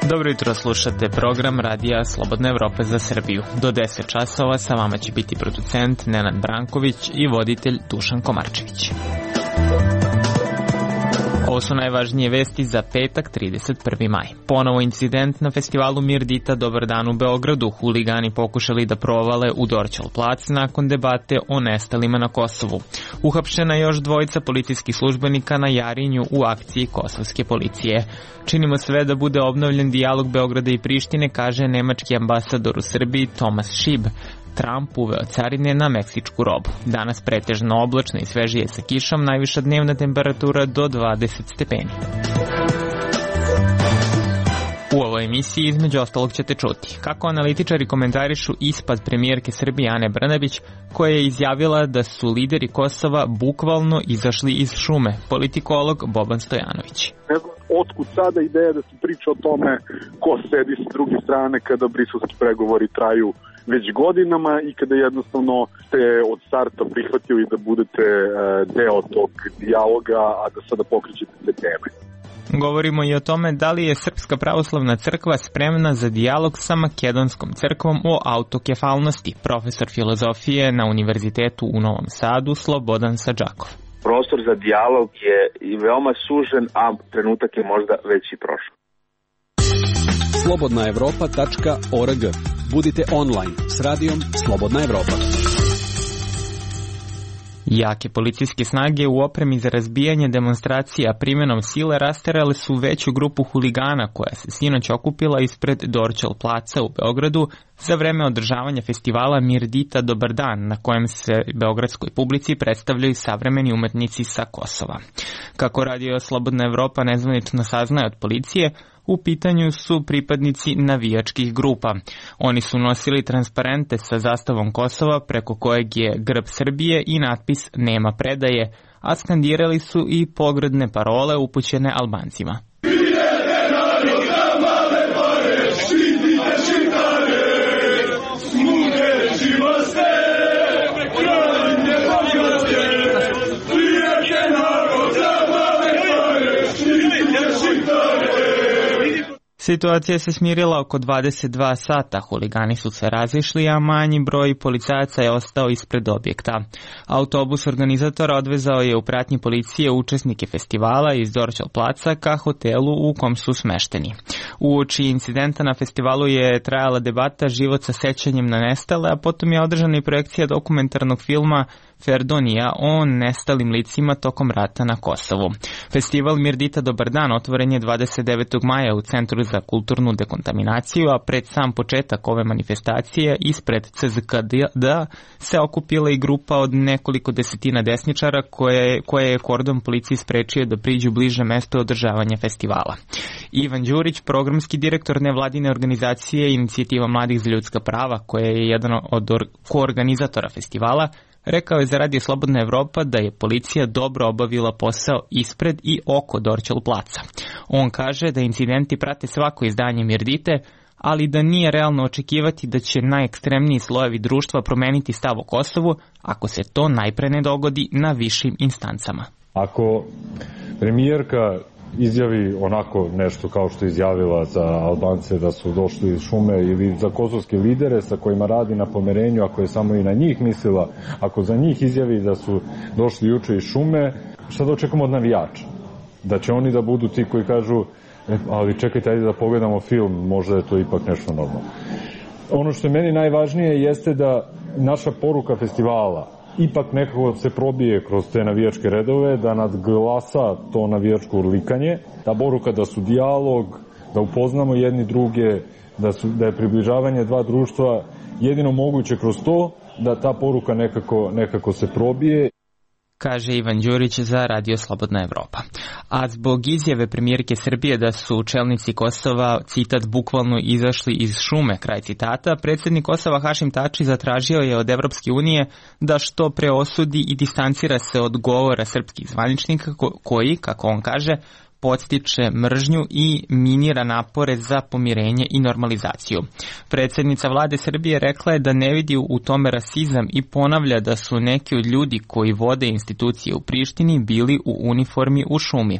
Dobro jutro, slušate program Radija Slobodna Evropa za Srbiju. Do 10 časova sa vama će biti producent Nenad Branković i voditelj Dušan Komarčević. Ovo su najvažnije vesti za petak, 31. maj. Ponovo incident na festivalu Mirdita Dobar dan u Beogradu. Huligani pokušali da provale u Dorćol plac nakon debate o nestalima na Kosovu. Uhapšena je još dvojica policijskih službenika na Jarinju u akciji kosovske policije. Činimo sve da bude obnovljen dijalog Beograda i Prištine, kaže nemački ambasador u Srbiji Tomas Šib. Trump uveo carine na meksičku robu. Danas pretežno oblačno i svežije sa kišom, najviša dnevna temperatura do 20 stepeni. U ovoj emisiji između ostalog ćete čuti kako analitičari komentarišu ispad premijerke Srbije Ane Brnabić, koja je izjavila da su lideri Kosova bukvalno izašli iz šume. Politikolog Boban Stojanović. Ne znam otkud sada ideja da se priča o tome ko sedi s druge strane kada briselski pregovori traju već godinama i kada jednostavno ste od starta prihvatili da budete deo tog dijaloga, a da sada pokrećete te teme. Govorimo i o tome da li je Srpska pravoslavna crkva spremna za dijalog sa makedonskom crkvom o autokefalnosti. Profesor filozofije na Univerzitetu u Novom Sadu Slobodan Sadžakov. Prostor za dijalog je i veoma sužen, a trenutak je možda već i prošao. slobodnaevropa.org. Budite online s radijom Slobodna Evropa. Jake policijske snage u opremi za razbijanje demonstracija primjenom sile rasterale su veću grupu huligana koja se sinoć okupila ispred Dorćol placa u Beogradu za vreme održavanja festivala Mirdita Dobar dan, na kojem se beogradskoj publici predstavljaju savremeni umetnici sa Kosova. Kako Radio Slobodna Evropa nezvanično saznaje od policije, u pitanju su pripadnici navijačkih grupa. Oni su nosili transparente sa zastavom Kosova preko kojeg je grb Srbije i natpis Nema predaje, a skandirali su i pogrdne parole upućene Albancima. Situacija se smirila oko 22 sata, huligani su se razišli, a manji broj policajaca je ostao ispred objekta. Autobus organizatora odvezao je u pratnji policije učesnike festivala iz Dorćol placa ka hotelu u kom su smešteni. Uoči incidenta na festivalu je trajala debata Život sa sećanjem na nestale, a potom je održana i projekcija dokumentarnog filma Ferdonija o nestalim licima tokom rata na Kosovu. Festival Mirdita Dobar dan otvoren je 29. maja u Centru za kulturnu dekontaminaciju, a pred sam početak ove manifestacije ispred CZKD se okupila i grupa od nekoliko desetina desničara koje je kordon policiji sprečio da priđu bliže mesto održavanja festivala. Ivan Đurić, programski direktor nevladine organizacije Inicijativa mladih za ljudska prava, koja je jedan od koorganizatora festivala, rekao je za Radio Slobodna Evropa da je policija dobro obavila posao ispred i oko Dorćol placa. On kaže da incidenti prate svako izdanje Mirdite, ali da nije realno očekivati da će najekstremniji slojevi društva promeniti stav o Kosovu ako se to najpre ne dogodi na višim instancama. Ako premijerka izjavi onako nešto kao što je izjavila za Albance da su došli iz šume ili za kosovske lidere sa kojima radi na pomerenju, ako je samo i na njih mislila, ako za njih izjavi da su došli juče iz šume, šta da očekamo od navijača? Da će oni da budu ti koji kažu ali čekajte, ajde da pogledamo film, možda je to ipak nešto normalno. Ono što je meni najvažnije jeste da naša poruka festivala ipak nekako se probije kroz te navijačke redove, da nadglasa to navijačko urlikanje, ta poruka da su dijalog, da upoznamo jedni druge, da je približavanje dva društva jedino moguće kroz to, da ta poruka nekako se probije. Kaže Ivan Đurić za Radio Slobodna Evropa. A zbog izjave premijerke Srbije da su čelnici Kosova, citat, bukvalno izašli iz šume, kraj citata, predsjednik Kosova Hašim Tači zatražio je od Evropske unije da što pre osudi i distancira se od govora srpskih zvaničnika koji, kako on kaže, podstiče mržnju i minira napore za pomirenje i normalizaciju. Predsjednica vlade Srbije rekla je da ne vidi u tome rasizam i ponavlja da su neki od ljudi koji vode institucije u Prištini bili u uniformi u šumi.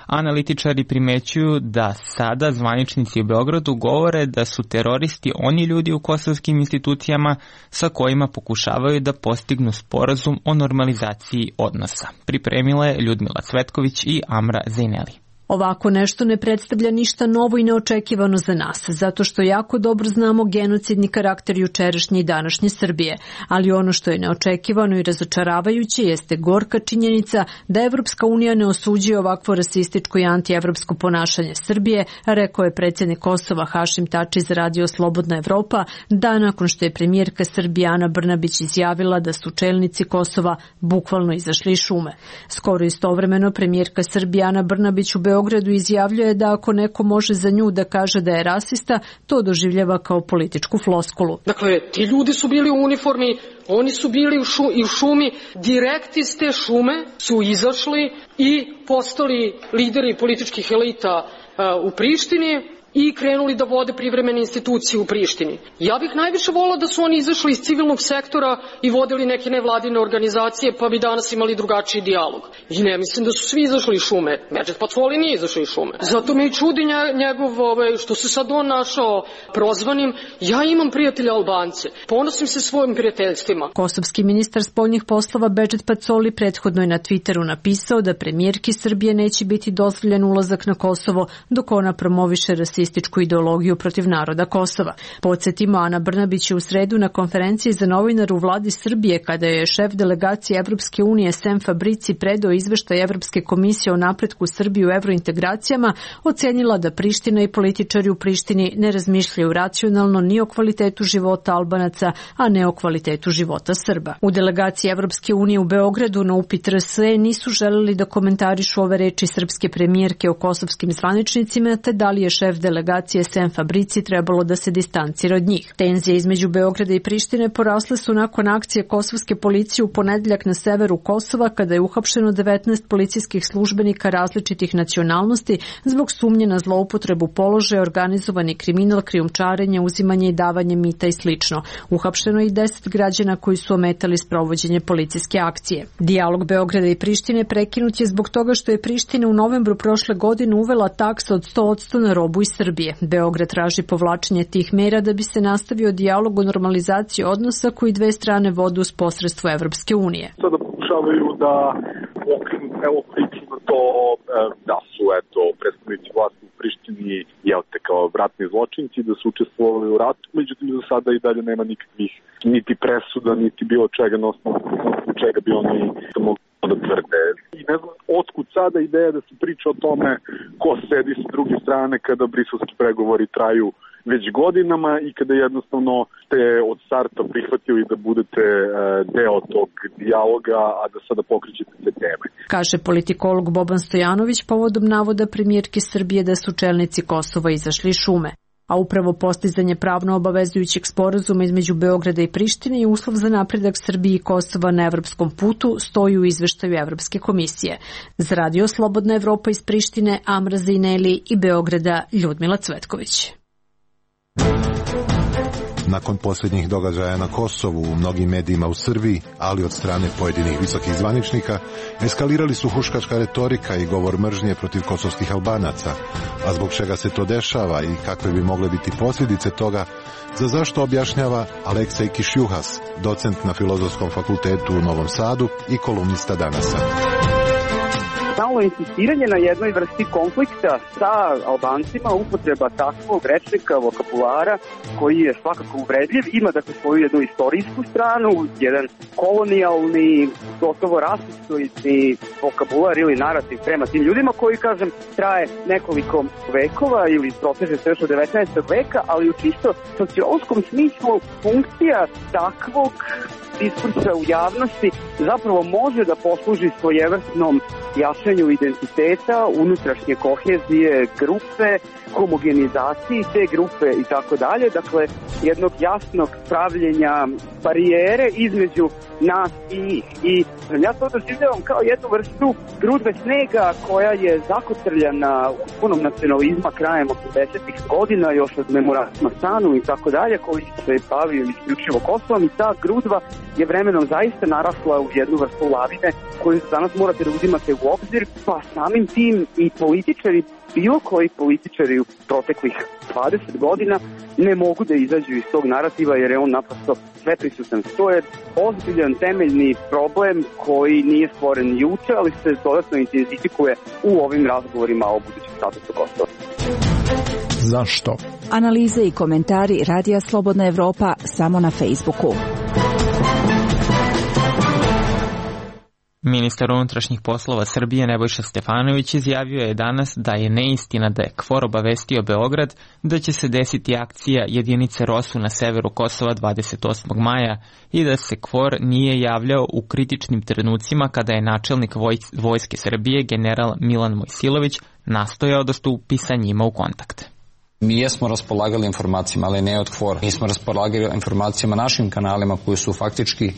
Analitičari primećuju da sada zvaničnici u Beogradu govore da su teroristi oni ljudi u kosovskim institucijama sa kojima pokušavaju da postignu sporazum o normalizaciji odnosa. Pripremila je Ljudmila Cvetković i Amra Zejneli. Ovako nešto ne predstavlja ništa novo i neočekivano za nas, zato što jako dobro znamo genocidni karakter jučerašnje i današnje Srbije, ali ono što je neočekivano i razočaravajuće jeste gorka činjenica da Evropska unija ne osuđuje ovakvo rasističko i antievropsko ponašanje Srbije, rekao je predsjednik Kosova Hašim Tači za radio Slobodna Evropa, dan nakon što je premijerka Srbije Ana Brnabić izjavila da su čelnici Kosova bukvalno izašli iz šume. Skoro istovremeno premijerka Srbije Ana Brnabić u Beogradu izjavljuje da ako neko može za nju da kaže da je rasista, to doživljava kao političku floskulu. Dakle, ti ljudi su bili u uniformi, oni su bili u šumi, direkt iz te šume su izašli i postali lideri političkih elita u Prištini i krenuli da vode privremene institucije u Prištini. Ja bih najviše volila da su oni izašli iz civilnog sektora i vodili neke nevladine organizacije, pa bi danas imali drugačiji dijalog. I ne mislim da su svi izašli iz šume. Medžet Patvoli nije izašao iz šume. Zato me i čudi njegov, što se sad on našao prozvanim. Ja imam prijatelja Albance. Ponosim se svojim prijateljstvima. Kosovski ministar spoljnih poslova Bedžet Pacoli prethodno je na Twitteru napisao da premijerki Srbije neće biti dozvoljen ulazak na Kosovo dok ona promoviše rasističku ideologiju protiv naroda Kosova. Podsjetimo, Ana Brnabić je u sredu na konferenciji za novinare u vladi Srbije, kada je šef delegacije Evropske unije Sem Fabrici predao izveštaj Evropske komisije o napretku Srbije u evrointegracijama, ocenila da Priština i političari u Prištini ne razmišljaju racionalno ni o kvalitetu života Albanaca, a ne o kvalitetu života Srba. U delegaciji Evropske unije u Beogradu na upit RSE nisu želeli da komentarišu ove reči srpske premijerke o kosovskim zvaničnicima, te da li je šef delegacije Sem Fabrici trebalo da se distancira od njih. Tenzije između Beograda i Prištine porasle su nakon akcije kosovske policije u ponedeljak na severu Kosova, kada je uhapšeno 19 policijskih službenika različitih nacionalnosti zbog sumnje na zloupotrebu položaja, organizovani kriminal, krijumčarenje, uzimanje i davanje mita i slično. Uhapšeno je i 10 građana koji su ometali sprovođenje policijske akcije. Dijalog Beograda i Prištine prekinut je zbog toga što je Priština u novembru prošle godine uvela taksu od 100% na robu iz Srbije. Beograd traži povlačenje tih mera da bi se nastavio dijalog o normalizaciji odnosa koji dve strane vode uz posredstvo Evropske unije. Sada pokušavaju da okrenu evo priču na to da su predstavnici vlasti u Prištini kao ratni zločinci, da su učestvovali u ratu, međutim do sada i dalje nema nikakvih niti presuda, niti bilo čega na osnovu čega bi oni mogli da tvrde. I ne znam otkud sada ideja da se priča o tome ko sedi s druge strane kada briselski pregovori traju već godinama i kada jednostavno ste od starta prihvatili da budete deo tog dijaloga, a da sada pokrećete te teme. Kaže politikolog Boban Stojanović povodom navoda premijerke Srbije da su čelnici Kosova izašli iz šume. A upravo postizanje pravno obavezujućeg sporazuma između Beograda i Prištine i uslov za napredak Srbije i Kosova na evropskom putu stoji u izveštaju Evropske komisije. Za radio Slobodna Evropa iz Prištine, Amra Zejneli i Beograda, Ljudmila Cvetković. Nakon posljednjih događaja na Kosovu, u mnogim medijima u Srbiji, ali od strane pojedinih visokih zvaničnika, eskalirali su huškačka retorika i govor mržnje protiv kosovskih Albanaca. A zbog čega se to dešava i kakve bi mogle biti posljedice toga, za zašto objašnjava Aleksej Kišjuhas, docent na Filozofskom fakultetu u Novom Sadu i kolumnista Danasa. Stalno insistiranje na jednoj vrsti konflikta sa Albancima, upotreba takvog rečnika, vokabulara koji je svakako uvredljiv, ima dakle svoju jednu istorijsku stranu, jedan kolonijalni, gotovo rasistoidni vokabular ili narativ prema tim ljudima koji, kažem, traje nekoliko vekova ili proteže se još od 19. veka, ali u čisto sociološkom smislu funkcija takvog diskursa u javnosti zapravo može da posluži svojevrsnom jačanju identiteta, unutrašnje kohezije grupe, homogenizaciji te grupe i tako dalje. Dakle, jednog jasnog pravljenja barijere između nas i njih. I ja to doživljavam kao jednu vrstu grudve snega koja je zakotrljana punom nacionalizma krajem 80-ih godina, još od memoranduma Stanu i tako dalje, koji se bavio isključivo Kosovom, i ta grudva je vremenom zaista narasla u jednu vrstu lavine koju danas morate da uzimate u obzir, pa samim tim i političari, bilo koji političari u proteklih 20 godina ne mogu da izađu iz tog narativa jer je on naprosto sveprisutan. To je ozbiljan temeljni problem koji nije stvoren juče, ali se dodatno intenzifikuje u ovim razgovorima o budućem statusu Kosova. Zašto? Analize i komentari Radija Slobodna Evropa samo na Facebooku. Ministar unutrašnjih poslova Srbije Nebojša Stefanović izjavio je danas da je neistina da je KFOR obavestio Beograd da će se desiti akcija jedinice ROSU na severu Kosova 28. maja i da se KFOR nije javljao u kritičnim trenucima kada je načelnik Vojske Srbije general Milan Mojsilović nastojao da stupi sa njima u kontakt. Mi jesmo raspolagali informacijama, ali ne od KFOR. Mi smo raspolagali informacijama našim kanalima koji su faktički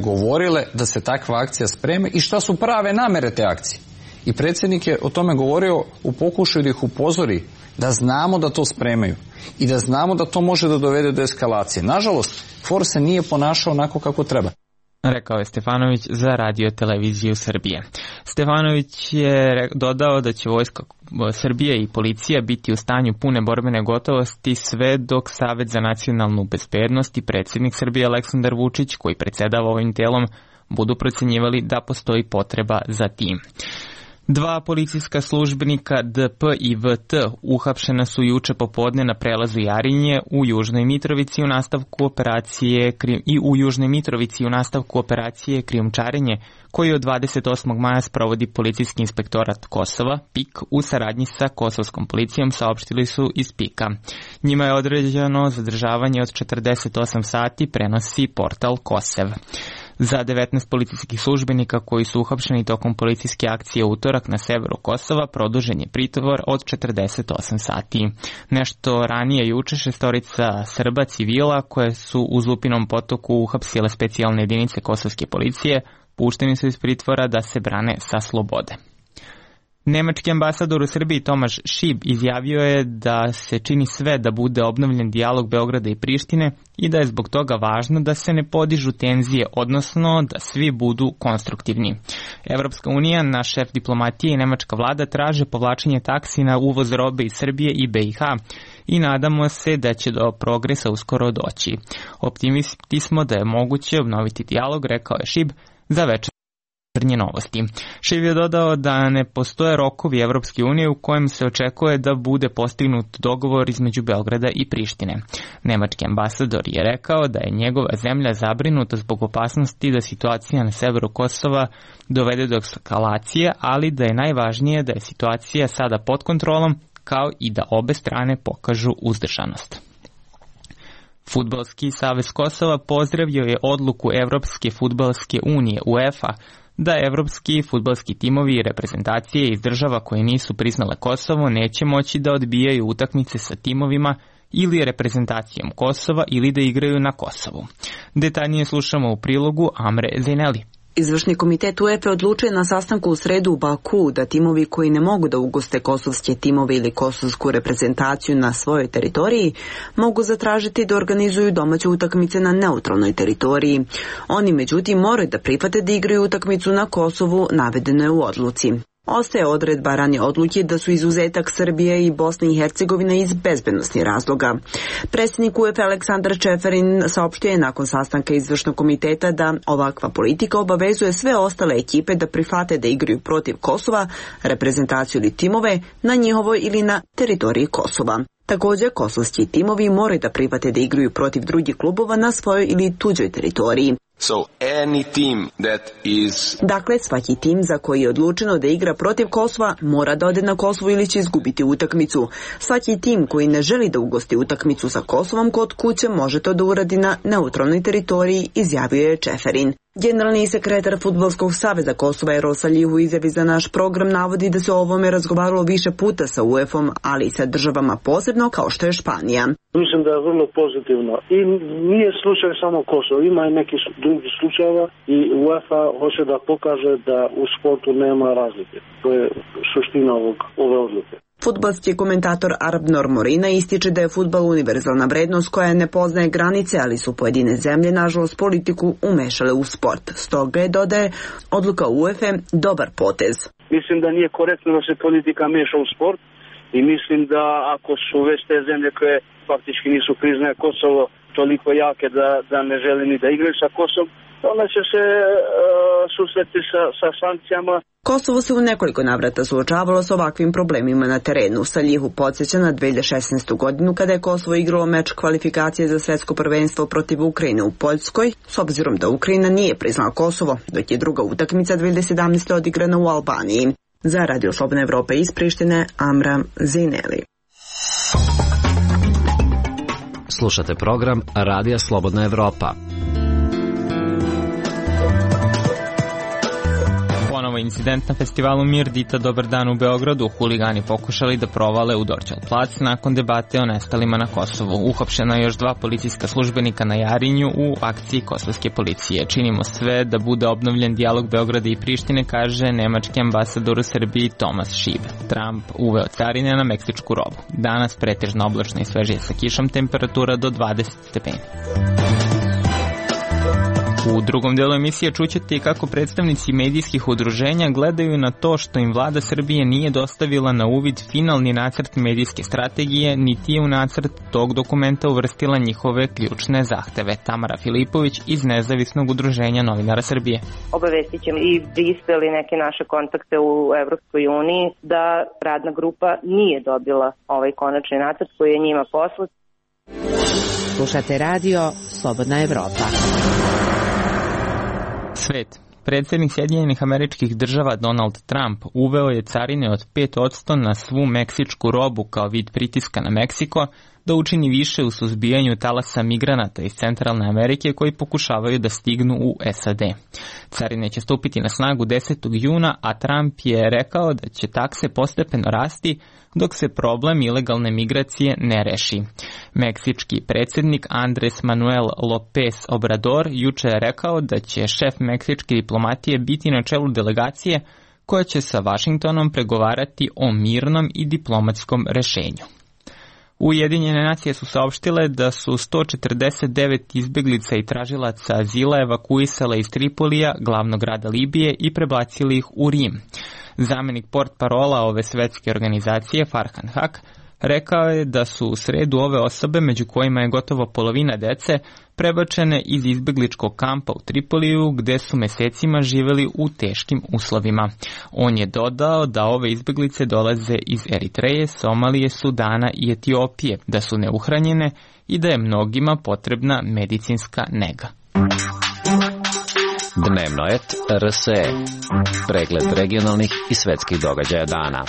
govorile da se takva akcija spreme i šta su prave namere te akcije. I predsjednik je o tome govorio u pokušaju da ih upozori da znamo da to spremaju i da znamo da to može da dovede do eskalacije. Nažalost, KFOR se nije ponašao onako kako treba. Rekao je Stefanović za Radio televiziju Srbije. Stefanović je dodao da će Vojska Srbije i policija biti u stanju pune borbene gotovosti sve dok Savet za nacionalnu bezbednost i predsjednik Srbije Aleksandar Vučić, koji predsjedava ovim telom, budu procenjivali da postoji potreba za tim. 2 policijska službenika DP i VT uhapšena su juče popodne na prelazu Jarinje u Južnoj Mitrovici u nastavku operacije krijumčarenje koju od 28. maja sprovodi Policijski inspektorat Kosova, PIK, u saradnji sa kosovskom policijom, saopštili su iz PIK-a. Njima je određeno zadržavanje od 48 sati, prenosi portal Kosev. Za 19 policijskih službenika koji su uhapšeni tokom policijske akcije utorak na severu Kosova produžen je pritvor od 48 sati. Nešto ranije juče 6 Srba civila koje su u Zupinom potoku uhapsile specijalne jedinice kosovske policije pušteni su iz pritvora da se brane sa slobode. Nemački ambasador u Srbiji Tomaš Šib izjavio je da se čini sve da bude obnovljen dijalog Beograda i Prištine i da je zbog toga važno da se ne podižu tenzije, odnosno da svi budu konstruktivni. Evropska unija, naš šef diplomatije i nemačka vlada traže povlačenje taksi na uvoz robe iz Srbije i BiH i nadamo se da će do progresa uskoro doći. Optimisti smo da je moguće obnoviti dijalog, rekao je Šib za Večernje novosti. Šib je dodao da ne postoje rokovi Evropske unije u kojem se očekuje da bude postignut dogovor između Beograda i Prištine. Nemački ambasador je rekao da je njegova zemlja zabrinuta zbog opasnosti da situacija na severu Kosova dovede do eskalacije, ali da je najvažnije da je situacija sada pod kontrolom, kao i da obe strane pokažu uzdržanost. Fudbalski savez Kosova pozdravio je odluku Evropske fudbalske unije UEFA da evropski fudbalski timovi i reprezentacije iz država koje nisu priznale Kosovo neće moći da odbijaju utakmice sa timovima ili reprezentacijom Kosova ili da igraju na Kosovu. Detaljnije slušamo u prilogu Amre Zeneli. Izvršni komitet UEFA odlučuje na sastanku u sredu u Baku da timovi koji ne mogu da ugoste kosovske timove ili kosovsku reprezentaciju na svojoj teritoriji mogu zatražiti da organizuju domaće utakmice na neutralnoj teritoriji. Oni međutim moraju da prihvate da igraju utakmicu na Kosovu, navedeno je u odluci. Ostaje odredba ranije odluke da su izuzetak Srbije i Bosne i Hercegovine iz bezbednosnih razloga. Predsjednik UEFA Aleksandar Čeferin saopštio je nakon sastanka izvršnog komiteta da ovakva politika obavezuje sve ostale ekipe da prihvate da igraju protiv Kosova, reprezentaciju ili timove na njihovoj ili na teritoriji Kosova. Također, kosovski timovi moraju da prihvate da igraju protiv drugih klubova na svojoj ili tuđoj teritoriji. Dakle, svaki tim za koji je odlučeno da igra protiv Kosova mora da ode na Kosovo ili će izgubiti utakmicu. Svaki tim koji ne želi da ugosti utakmicu sa Kosovom kod kuće može to da uradi na neutralnoj teritoriji, izjavio je Čeferin. Generalni sekretar Fudbalskog saveza Kosova Erol Salih u izjavi za naš program navodi da se o ovome razgovaralo više puta sa UEFA-om, ali i sa državama posebno kao što je Španija. Mislim da je vrlo pozitivno i nije slučaj samo Kosovo, ima i neki drugi slučajeva i UEFA hoće da pokaže da u sportu nema razlike. To je suština ove odluke. Fudbalski komentator Arab Normorina ističe da je fudbal univerzalna vrednost koja ne poznaje granice, ali su pojedine zemlje, nažalost, politiku umešale u sport. Stoga je, dodaje, odluka UEFA dobar potez. Mislim da nije korektno da se politika meša u sport i mislim da ako su već te zemlje koje faktički nisu priznaje Kosovo toliko jake da ne žele ni da igraju sa Kosovom, onda će se susreti sa sankcijama. Kosovo se u nekoliko navrata suočavalo s ovakvim problemima na terenu. Saljihu podsjeća na 2016. godinu kada je Kosovo igralo meč kvalifikacije za svetsko prvenstvo protiv Ukrajine u Poljskoj, s obzirom da Ukrajina nije priznala Kosovo, dok je druga utakmica 2017. odigrana u Albaniji. Za Radio Slobodna Evropa iz Prištine, Amram Zineli. Slušate program Radija Slobodna Evropa. Ponovo incident na festivalu Mir Dita Dobar dan u Beogradu. Huligani pokušali da provale u Dorćol plac nakon debate o nestalima na Kosovu. Uhapšena još 2 policijska službenika na Jarinju u akciji kosovske policije. Činimo sve da bude obnovljen dijalog Beograda i Prištine, kaže nemački ambasador u Srbiji Tomas Šib. Trump uveo carine na meksičku robu. Danas pretežno oblačno i svežije sa kišom, temperatura do 20 stepeni. U drugom delu emisije čućete kako predstavnici medijskih udruženja gledaju na to što im vlada Srbije nije dostavila na uvid finalni nacrt medijske strategije, niti je u nacrt tog dokumenta uvrstila njihove ključne zahteve. Tamara Filipović iz Nezavisnog udruženja novinara Srbije. Obavestit ćemo i Brisel i neke naše kontakte u Evropskoj uniji da radna grupa nije dobila ovaj konačni nacrt koji je njima poslat. Slušate radio Slobodna Evropa. Svet. Predsjednik Sjedinjenih Američkih Država Donald Trump uveo je carine od 5% na svu meksičku robu kao vid pritiska na Meksiko da učini više u suzbijanju talasa migranata iz Centralne Amerike koji pokušavaju da stignu u SAD. Carine će stupiti na snagu 10. juna, a Trump je rekao da će takse postepeno rasti dok se problem ilegalne migracije ne reši. Meksički predsjednik Andres Manuel López Obrador juče je rekao da će šef meksičke diplomatije biti na čelu delegacije koja će sa Vašingtonom pregovarati o mirnom i diplomatskom rešenju. Ujedinjene nacije su saopštile da su 149 izbeglica i tražilaca azila evakuisale iz Tripolija, glavnog grada Libije, i prebacili ih u Rim. Zamenik portparola ove svetske organizacije, Farhan Haq, rekao je da su u sredu ove osobe, među kojima je gotovo polovina dece, prebačene iz izbegličkog kampa u Tripoliju, gde su mesecima živeli u teškim uslovima. On je dodao da ove izbeglice dolaze iz Eritreje, Somalije, Sudana i Etiopije, da su neuhranjene i da je mnogima potrebna medicinska nega. Dnevnoet RSE. Pregled regionalnih i svetskih događaja dana.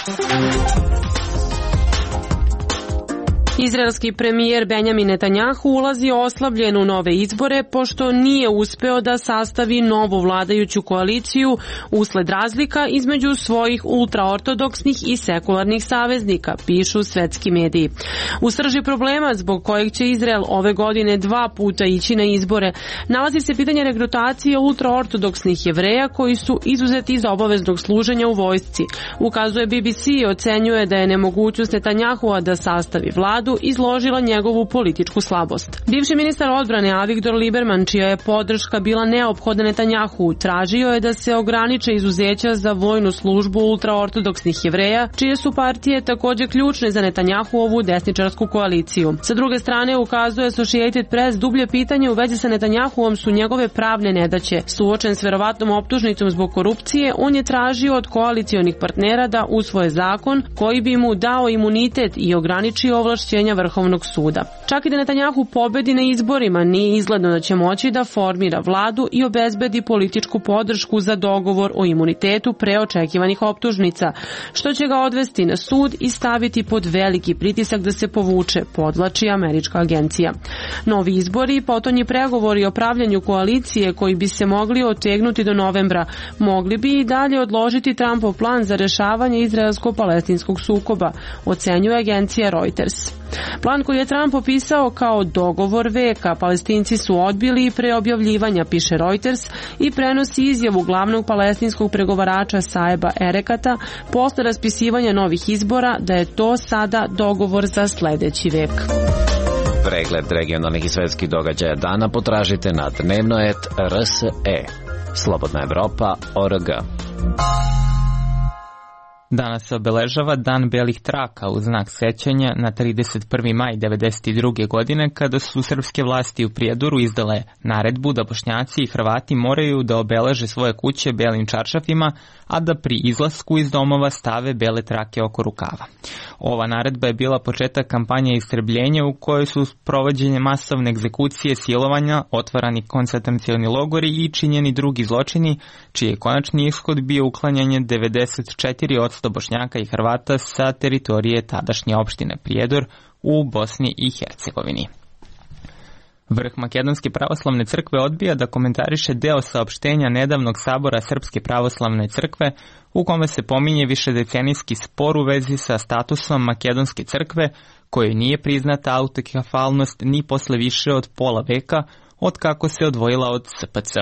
Izraelski premijer Benjamin Netanjahu ulazi oslabljen u nove izbore pošto nije uspeo da sastavi novu vladajuću koaliciju usled razlika između svojih ultraortodoksnih i sekularnih saveznika, pišu svetski mediji. U srži problema zbog kojeg će Izrael ove godine 2 puta ići na izbore nalazi se pitanje regrutacije ultraortodoksnih Jevreja koji su izuzeti iz obaveznog služenja u vojsci. Ukazuje BBC i ocenjuje da je nemogućnost Netanjahua da sastavi vladu izložila njegovu političku slabost. Bivši ministar odbrane Avigdor Lieberman, čija je podrška bila neophodna Netanjahu, tražio je da se ograniče izuzeća za vojnu službu ultraortodoksnih Jevreja, čije su partije također ključne za Netanjahuovu desničarsku koaliciju. Sa druge strane, ukazuje Associated Press, dublje pitanje u vezi sa Netanjahuom su njegove pravne nedaće. Suočen s verovatnom optužnicom zbog korupcije, on je tražio od koalicionih partnera da usvoje zakon koji bi mu dao imunitet i ograničio ovlašćenje rješenja Vrhovnog suda. Čak i da Netanjahu pobedi na izborima, nije izgledno da će moći da formira vladu i obezbedi političku podršku za dogovor o imunitetu pre očekivanih optužnica, što će ga odvesti na sud i staviti pod veliki pritisak da se povuče, podvlači američka agencija. Novi izbori i potonji pregovori o pravljanju koalicije koji bi se mogli otegnuti do novembra mogli bi i dalje odložiti Trumpov plan za rešavanje izraelsko-palestinskog sukoba, ocenjuje agencija Reuters. Plan koji je Trump opisao kao dogovor veka, Palestinci su odbili pre objavljivanja, piše Reuters, i prenosi izjavu glavnog palestinskog pregovarača Saeba Erekata posle raspisivanja novih izbora da je to sada dogovor za sledeći vek. Pregled regionalnih i svetskih događaja dana potražite na dnevnoet.rse. Slobodna Evropa.org. Danas se obeležava Dan belih traka u znak sećanja na 31. maj 1992. godine kada su srpske vlasti u Prijedoru izdale naredbu da Bošnjaci i Hrvati moraju da obeleže svoje kuće belim čaršafima, a da pri izlasku iz domova stave bele trake oko rukava. Ova naredba je bila početak kampanje istrebljenja u kojoj su provođenje masovne egzekucije, silovanja, otvarani koncentracioni logori i činjeni drugi zločini, čiji je konačni ishod bio uklanjanje 94% Bošnjaka i Hrvata sa teritorije tadašnje opštine Prijedor u Bosni i Hercegovini. Vrh Makedonske pravoslavne crkve odbija da komentariše deo saopštenja nedavnog sabora Srpske pravoslavne crkve u kome se pominje višedecenijski spor u vezi sa statusom Makedonske crkve kojoj nije priznata autokefalnost ni posle više od pola veka od kako se odvojila od SPC.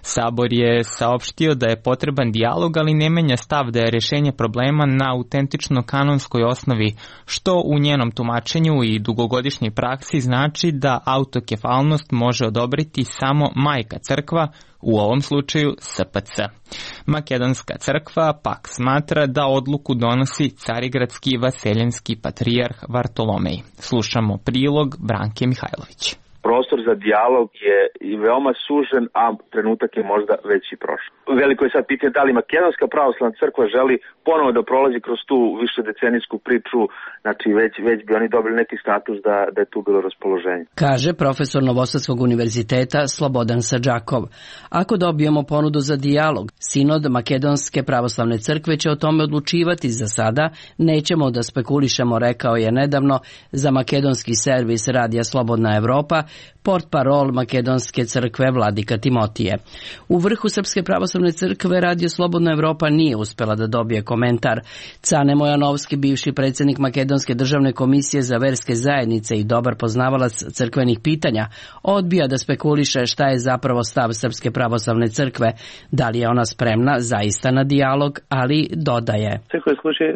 Sabor je saopštio da je potreban dijalog, ali ne menja stav da je rješenje problema na autentično kanonskoj osnovi, što u njenom tumačenju i dugogodišnjoj praksi znači da autokefalnost može odobriti samo majka crkva, u ovom slučaju SPC. Makedonska crkva pak smatra da odluku donosi carigradski vaseljenski patrijarh Vartolomej. Slušamo prilog Branke Mihajlović. Prostor za dijalog je i veoma sužen, a trenutak je možda već i prošao. Veliko je sad pitanje da li Makedonska pravoslavna crkva želi ponovo da prolazi kroz tu višedecenijsku priču, znači već bi oni dobili neki status da je tu bilo raspoloženje. Kaže profesor Novosadskog univerziteta Slobodan Sadžakov. Ako dobijemo ponudu za dijalog, sinod Makedonske pravoslavne crkve će o tome odlučivati. Za sada nećemo da spekulišemo, rekao je nedavno za makedonski servis Radija Slobodna Evropa portparol Makedonske crkve Vladika Timotije. U vrhu Srpske pravoslavne crkve Radio Slobodna Evropa nije uspela da dobije komentar. Cane Mojanovski, bivši predsjednik Makedonske državne komisije za verske zajednice i dobar poznavalac crkvenih pitanja, odbija da spekuliše šta je zapravo stav Srpske pravoslavne crkve, da li je ona spremna zaista na dijalog, ali dodaje.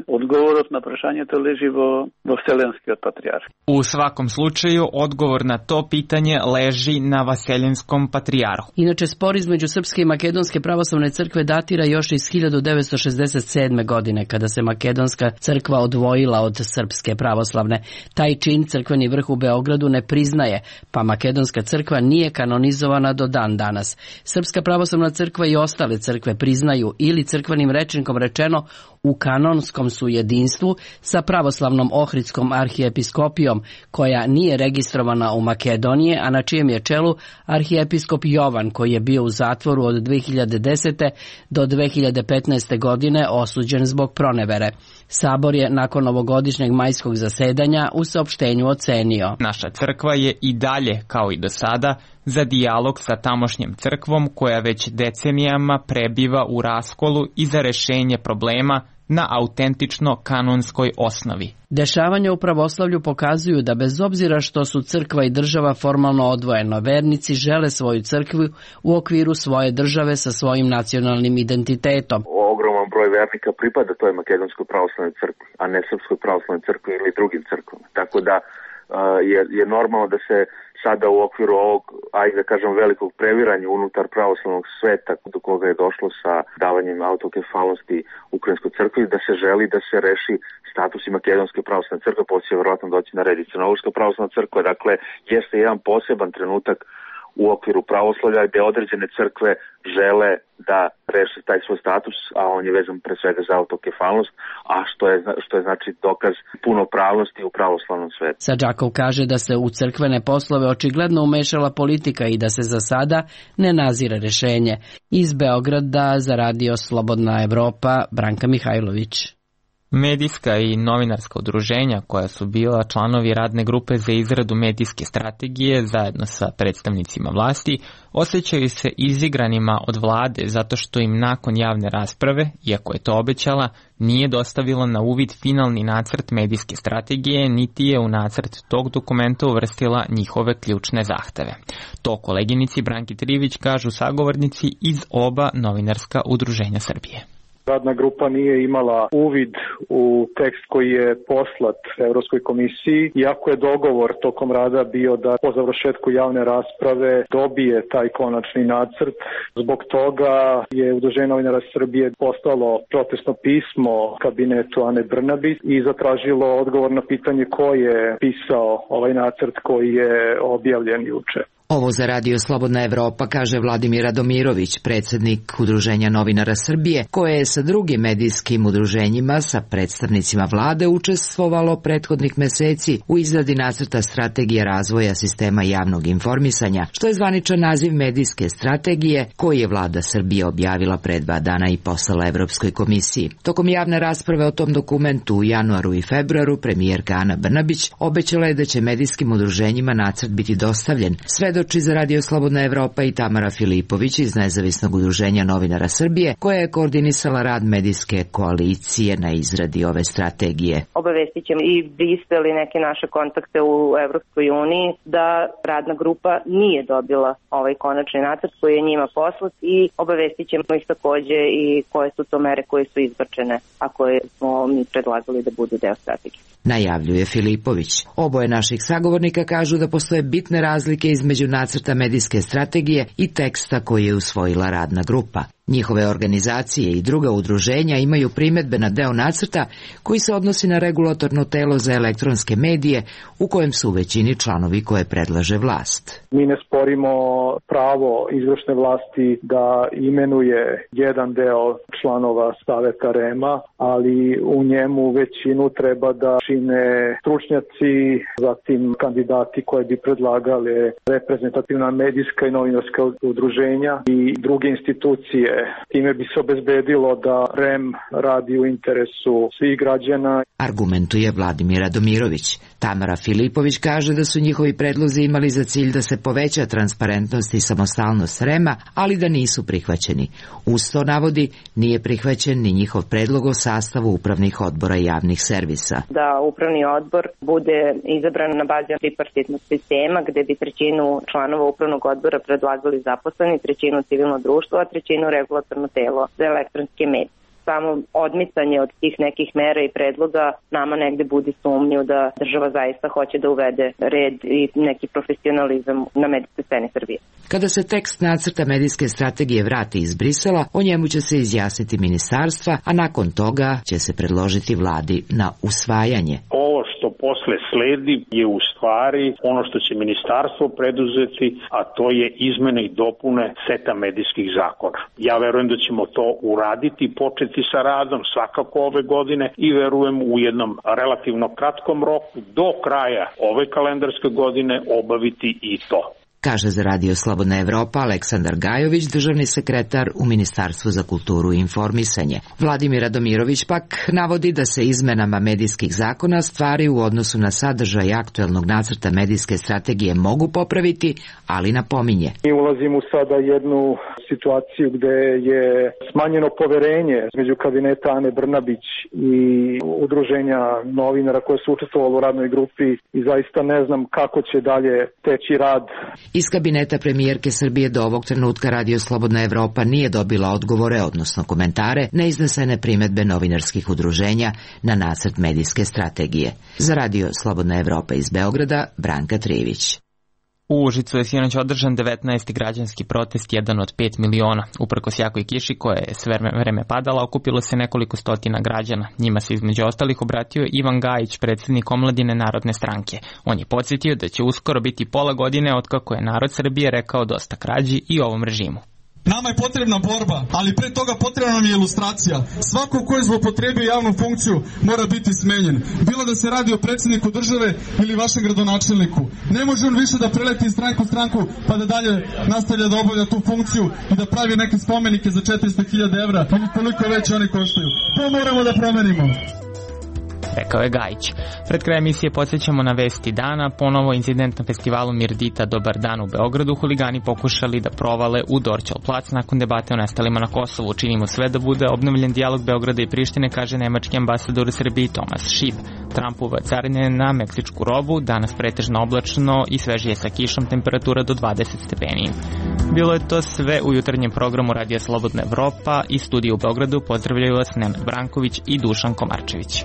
Odgovorot na prašanje to leži vo Vselenski od patrijarha. U svakom slučaju, odgovor na to pitanje leži na Vaseljenskom patrijarhu. Inače, spor između Srpske i Makedonske pravoslavne crkve datira još iz 1967. godine, kada se Makedonska crkva odvojila od Srpske pravoslavne. Taj čin crkveni vrh u Beogradu ne priznaje, pa Makedonska crkva nije kanonizovana do dan danas. Srpska pravoslavna crkva i ostale crkve priznaju ili crkvenim rečnikom rečeno u kanonskom su jedinstvu sa pravoslavnom Ohridskom arhijepiskopijom, koja nije registrovana u Makedonije, a na čijem je čelu arhijepiskop Jovan, koji je bio u zatvoru od 2010. do 2015. godine osuđen zbog pronevere. Sabor je nakon ovogodišnjeg majskog zasedanja u saopštenju ocenio. Naša crkva je i dalje, kao i do sada, za dijalog sa tamošnjem crkvom koja već decenijama prebiva u raskolu i za rešenje problema na autentično kanonskoj osnovi. Dešavanja u pravoslavlju pokazuju da bez obzira što su crkva i država formalno odvojeno, vernici žele svoju crkvu u okviru svoje države sa svojim nacionalnim identitetom. Ogroman broj vernika pripada toj Makedonskoj pravoslavnoj crkvi, a ne Srpskoj pravoslavnoj crkvi ili drugim crkvama. Tako da je normalno da se sada u okviru ovog, ajde da kažem, velikog previranja unutar pravoslavnog sveta do koga je došlo sa davanjem autokefalnosti Ukrajinskoj crkvi, da se želi da se reši status i Makedonske pravoslavne crkve, poslije će vjerojatno doći na red i Crnogorska pravoslavna crkva. Dakle, jeste jedan poseban trenutak u okviru pravoslavlja gde određene crkve žele da reše taj svoj status, a on je vezan pre svega za autokefalnost, a što je znači dokaz punopravnosti u pravoslavnom svetu. Sadžakov kaže da se u crkvene poslove očigledno umešala politika i da se za sada ne nazire rešenje. Iz Beograda za Radio Slobodna Evropa, Branka Mihajlović. Medijska i novinarska udruženja koja su bila članovi radne grupe za izradu medijske strategije zajedno sa predstavnicima vlasti osjećaju se izigranima od vlade zato što im nakon javne rasprave, iako je to obećala, nije dostavila na uvid finalni nacrt medijske strategije niti je u nacrt tog dokumenta uvrstila njihove ključne zahteve. To koleginici Branki Trivić kažu sagovornici iz oba novinarska udruženja Srbije. Radna grupa nije imala uvid u tekst koji je poslat Evropskoj komisiji, iako je dogovor tokom rada bio da po završetku javne rasprave dobije taj konačni nacrt. Zbog toga je Udruženje novinara Srbije poslalo protestno pismo kabinetu Ane Brnabić i zatražilo odgovor na pitanje ko je pisao ovaj nacrt koji je objavljen juče. Ovo za Radio Slobodna Evropa kaže Vladimir Radomirović, predsjednik Udruženja novinara Srbije, koje je sa drugim medijskim udruženjima sa predstavnicima vlade učestvovalo prethodnih meseci u izradi nacrta strategije razvoja sistema javnog informisanja, što je zvaničan naziv medijske strategije koji je vlada Srbije objavila pre 2 dana i poslala Evropskoj komisiji. Tokom javne rasprave o tom dokumentu u januaru i februaru premijerka Ana Brnabić obećala je da će medijskim udruženjima nacrt biti dostavljen. Svedoči za Radio Slobodna Evropa i Tamara Filipović iz Nezavisnog udruženja novinara Srbije, koja je koordinisala rad medijske koalicije na izradi ove strategije. Obavestit ćemo i Brisel i neke naše kontakte u Evropskoj uniji da radna grupa nije dobila ovaj konačni nacrt koji je njima poslat i obavestit ćemo ih takođe i koje su to mere koje su izbačene, a koje smo mi predlagali da budu deo strategije. Najavljuje Filipović. Oboje naših sagovornika kažu da postoje bitne razlike između nacrta medijske strategije i teksta koji je usvojila radna grupa. Njihove organizacije i druga udruženja imaju primedbe na deo nacrta koji se odnosi na regulatorno telo za elektronske medije u kojem su u većini članovi koje predlaže vlast. Mi ne sporimo pravo izvršne vlasti da imenuje jedan deo članova Saveta REM-a, ali u njemu većinu treba da čine stručnjaci, zatim kandidati koji bi predlagali reprezentativna medijska i novinarska udruženja i druge institucije. Time bi se obezbedilo da REM radi u interesu svih građana. Argumentuje Vladimir Radomirović. Tamara Filipović kaže da su njihovi predlozi imali za cilj da se poveća transparentnost i samostalnost REM-a, ali da nisu prihvaćeni. Uz to navodi, nije prihvaćen ni njihov predlog o sastavu upravnih odbora javnih servisa. Da upravni odbor bude izabran na bazi tripartitnog sistema, gde bi 1/3 članova upravnog odbora predlagali zaposleni, 1/3 civilno društvo, a 1/3 regulatorno telo za elektronske medije. Samo odmicanje od tih nekih mera i predloga nama negde budi sumnju da država zaista hoće da uvede red i neki profesionalizam na medijskoj sceni Srbije. Kada se tekst nacrta medijske strategije vrati iz Brisela, o njemu će se izjasniti ministarstva, a nakon toga će se predložiti vladi na usvajanje. Ovo što posle sledi je u stvari ono što će ministarstvo preduzeti, a to je izmene i dopune seta medijskih zakona. Ja verujem da ćemo to uraditi, početi sa radom svakako ove godine i verujem u jednom relativno kratkom roku do kraja ove kalendarske godine obaviti i to. Kaže za Radio Slobodna Evropa Aleksandar Gajović, državni sekretar u Ministarstvu za kulturu i informisanje. Vladimir Radomirović pak navodi da se izmenama medijskih zakona stvari u odnosu na sadržaj aktuelnog nacrta medijske strategije mogu popraviti, ali napominje. Mi ulazimo sada jednu situaciju gde je smanjeno poverenje između kabineta Ane Brnabić i udruženja novinara koje su učestvovali u radnoj grupi i zaista ne znam kako će dalje teći rad. Iz kabineta premijerke Srbije do ovog trenutka Radio Slobodna Evropa nije dobila odgovore, odnosno komentare, na iznesene primedbe novinarskih udruženja na nacrt medijske strategije. Za Radio Slobodna Evropa iz Beograda, Branka Trivić. U Užicu je sinoć održan 19. građanski protest, jedan od 5 miliona. Uprkos jakoj kiši koja je sve vreme padala, okupilo se nekoliko stotina građana. Njima se između ostalih obratio Ivan Gajić, predsjednik Omladine Narodne stranke. On je podsjetio da će uskoro biti pola godine otkako je narod Srbije rekao dosta krađi i ovom režimu. Nama je potrebna borba, ali pre toga potrebna nam je ilustracija. Svako ko je zloupotrebio javnu funkciju mora biti smenjen. Bilo da se radi o predsjedniku države ili vašem gradonačelniku. Ne može on više da preleti iz stranku u stranku pa da dalje nastavlja da obavlja tu funkciju i da pravi neke spomenike za 400.000 evra ili koliko već oni koštaju. To moramo da promenimo. Rekao je Gajić. Pred kraj emisije podsjećamo na vesti dana. Ponovo incident na festivalu Mirdita Dobar dan u Beogradu. Huligani pokušali da provale u Dorćol plac nakon debate o nestalima na Kosovu. Činimo sve da bude obnovljen dijalog Beograda i Prištine, kaže nemački ambasador u Srbiji Tomas Šib. Trumpova carine na meksičku robu, danas pretežno oblačno i svežije sa kišom, temperatura do 20 stepeni. Bilo je to sve u jutarnjem programu Radija Slobodna Evropa i studiju u Beogradu. Pozdravljaju vas Nenad Branković i Dušan Komarčević.